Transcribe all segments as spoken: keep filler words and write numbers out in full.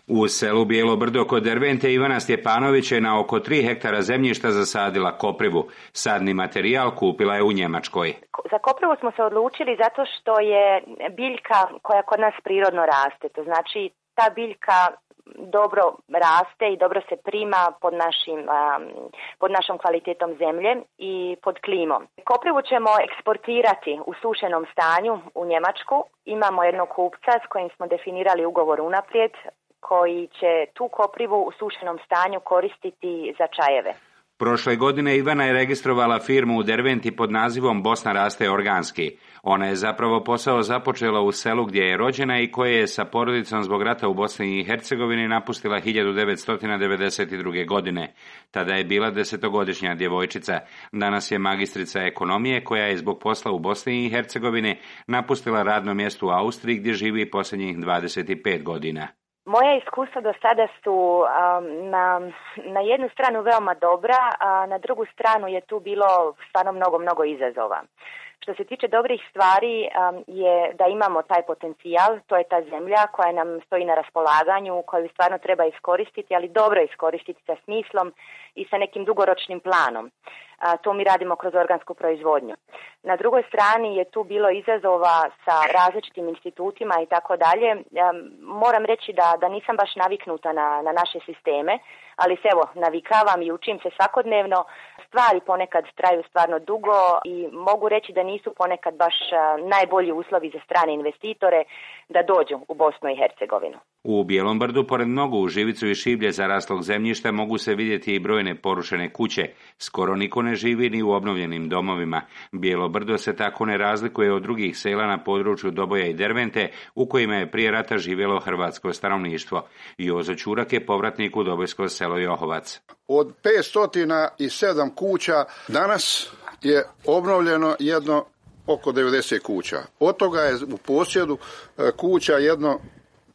U selu Bijelo Brdo kod Dervente Ivana Stjepanović je na oko tri hektara zemljišta zasadila koprivu. Sadni materijal kupila je u Njemačkoj. Za koprivu smo se odlučili zato što je biljka koja kod nas prirodno raste. To znači ta biljka dobro raste i dobro se prima pod, našim, pod našom kvalitetom zemlje i pod klimom. Koprivu ćemo eksportirati u sušenom stanju u Njemačku. Imamo jednog kupca s kojim smo definirali ugovor unaprijed, koji će tu koprivu u sušenom stanju koristiti za čajeve. Prošle godine Ivana je registrovala firmu u Derventi pod nazivom Bosna raste organski. Ona je zapravo posao započela u selu gdje je rođena i koje je sa porodicom zbog rata u Bosni i Hercegovini napustila hiljadu devetsto devedeset druge. godine. Tada je bila desetogodišnja djevojčica. Danas je magistrica ekonomije koja je zbog posla u Bosni i Hercegovini napustila radno mjesto u Austriji gdje živi posljednjih dvadeset pet godina. Moja iskustva do sada su um, na, na jednu stranu veoma dobra, a na drugu stranu je tu bilo stvarno mnogo, mnogo izazova. Što se tiče dobrih stvari um, je da imamo taj potencijal, to je ta zemlja koja nam stoji na raspolaganju, koju stvarno treba iskoristiti, ali dobro iskoristiti sa smislom i sa nekim dugoročnim planom. A, to mi radimo kroz organsku proizvodnju. Na drugoj strani je tu bilo izazova sa različitim institutima i tako dalje. Moram reći da, da nisam baš naviknuta na, na naše sisteme, ali se evo navikavam i učim se svakodnevno. Stvari ponekad traju stvarno dugo i mogu reći da nisu ponekad baš najbolji uslovi za strane investitore da dođu u Bosnu i Hercegovinu. U Bijelom Brdu, pored mnogo u živicu i šiblje zaraslog zemljišta, mogu se vidjeti i brojne porušene kuće. Skoro niko ne živi ni u obnovljenim domovima. Bijelo Brdo se tako ne razlikuje od drugih sela na području Doboja i Dervente, u kojima je prije rata živjelo hrvatsko stanovništvo. Jozo Čurak je povratnik u Dobojsko selo Johovac. Od petsto sedam kuća danas je obnovljeno jedno oko devedeset kuća. Od toga je u posjedu kuća jedno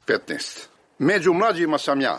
petnaest. Među mlađima sam ja,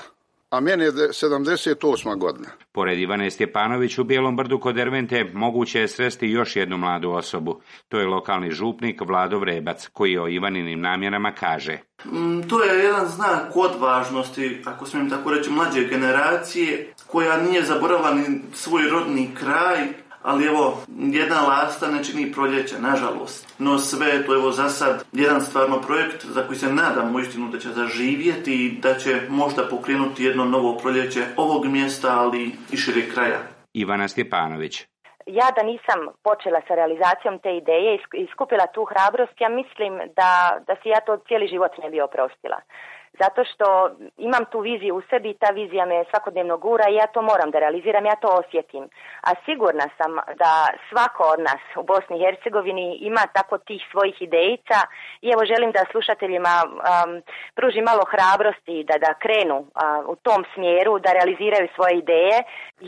a meni je sedamdeset osma godina. Pored Ivane Stjepanović u Bijelom Brdu kod Dervente moguće je sresti još jednu mladu osobu. To je lokalni župnik Vlado Vrebac, koji o Ivaninim namjerama kaže. Mm, to je jedan znak odvažnosti, ako smijem tako reći, mlađe generacije, koja nije zaboravila ni svoj rodni kraj, ali evo, jedna lasta ne čini proljeće, nažalost. No sve to evo za sad jedan stvarno projekt za koji se nadam uistinu da će zaživjeti i da će možda pokrenuti jedno novo proljeće ovog mjesta, ali i šire kraja. Ivana Stjepanović. Ja da nisam počela sa realizacijom te ideje i skupila tu hrabrost, ja mislim da, da si ja to cijeli život ne bi oprostila. Zato što imam tu viziju u sebi i ta vizija me svakodnevno gura i ja to moram da realiziram, ja to osjetim. A sigurna sam da svako od nas u Bosni i Hercegovini ima tako tih svojih idejica i evo želim da slušateljima um, pruži malo hrabrosti da, da krenu uh, u tom smjeru, da realiziraju svoje ideje.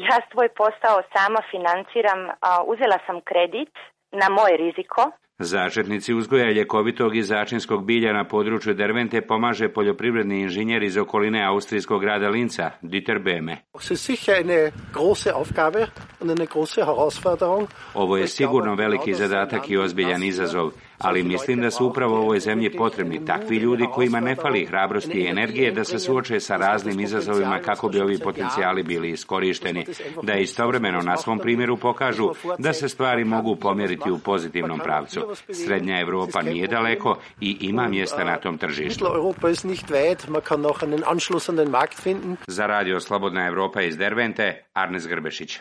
Ja svoj posao sama financiram, uh, uzela sam kredit na moj riziko. Zaštitnici uzgoja ljekovitog i začinskog bilja na području Dervente pomaže poljoprivredni inženjer iz okoline austrijskog grada Linca, Dieter Behme. Ovo je sigurno veliki zadatak i ozbiljan izazov, ali mislim da su upravo ovoj zemlji potrebni takvi ljudi kojima ne fali hrabrosti i energije da se suoče sa raznim izazovima kako bi ovi potencijali bili iskorišteni, da istovremeno na svom primjeru pokažu da se stvari mogu pomjeriti u pozitivnom pravcu. Srednja Europa nije daleko i ima mjesta na tom tržištu. Za radio Slobodna Europa iz Dervente, Arnes Grbešić.